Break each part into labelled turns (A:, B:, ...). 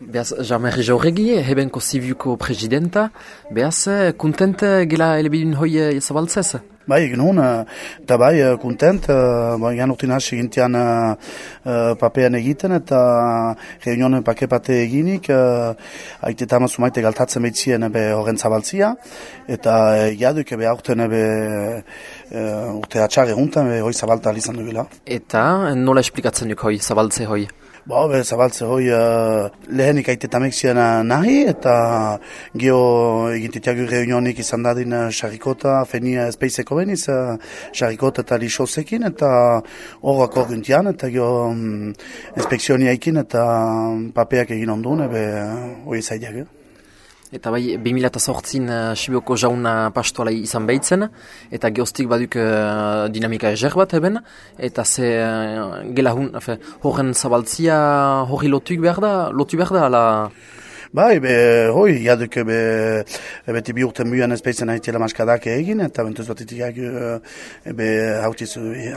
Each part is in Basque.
A: Beaz, Jean-Marie Jauregi, hebenko zibiuko presidenta, beaz, kontent gela elebidun hoi zabaltzez?
B: Bai, genuen, eta bai, kontent, gan urtin hasi gintian papean egiten, eta reunionen pake-pate eginik, haite eta maite galtatzen behitzien horren zabaltzia, eta jaduk aurten urte atxar eguntan hoi zabalta izan dugula.
A: Eta nola esplikatzen duk hoi, zabaltze hoi?
B: Zabaltze hoi lehenik aitetamek ziren nahi, eta geho egintetiago reunionik izan dadin xarrikota, fenia espeizeko beniz, xarrikota eta lixozekin, eta horrak horrentian, eta geho inspekzioni haikin, eta papeak egin ondun, hoi zaideak.
A: Eta bai, 2008 Sibioko jauna pastoala izan behitzen, eta geostik baduk dinamika ezer bat eben, eta ze gela horren zabaltzia horri lotu behar da, ala...
B: Bai, hoi, jaduk beti bi urten muian espeitzen haitiela maskadak egin, eta bentuz bat itiak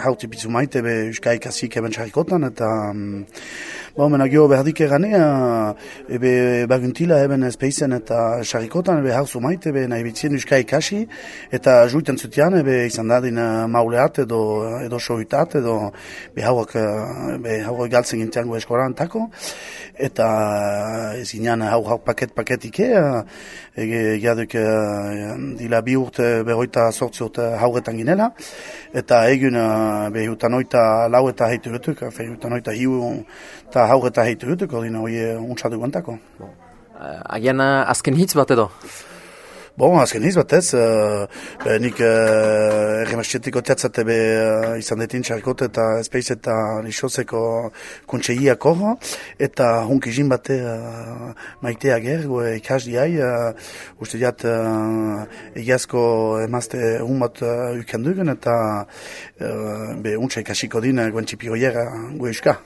B: hauti bizu maite, uskaik hasik eben xarikotan, eta mena geho behardik egane, baguntila eben espeitzen eta xarikotan, hauzu maite, nahi bitzien uskaik hasi, eta juiten zutian, izan dadin mauleat edo soitat, edo hauak galtzen gintiango eskoran tako, eta ez inan hau paket jaduk dila bi urte berroita sortzi urte hauretan ginela, eta egun behutan oita lau eta heitu gutuk, behutan oita hiu eta haureta heitu gutuk, ordin hori untsatu guantako.
A: Agian azken hitz bat edo?
B: Azken hitz bat ez, nik erremastietik oteatzate izan detin txarkot eta espeiz eta lixozeko kontseiak horro, eta hunkizin bate maitea ger, ikasdiai, uste diat egiazko emazte bat ukendugen, eta untsa ikasiko din guentxipi goiera gu euska.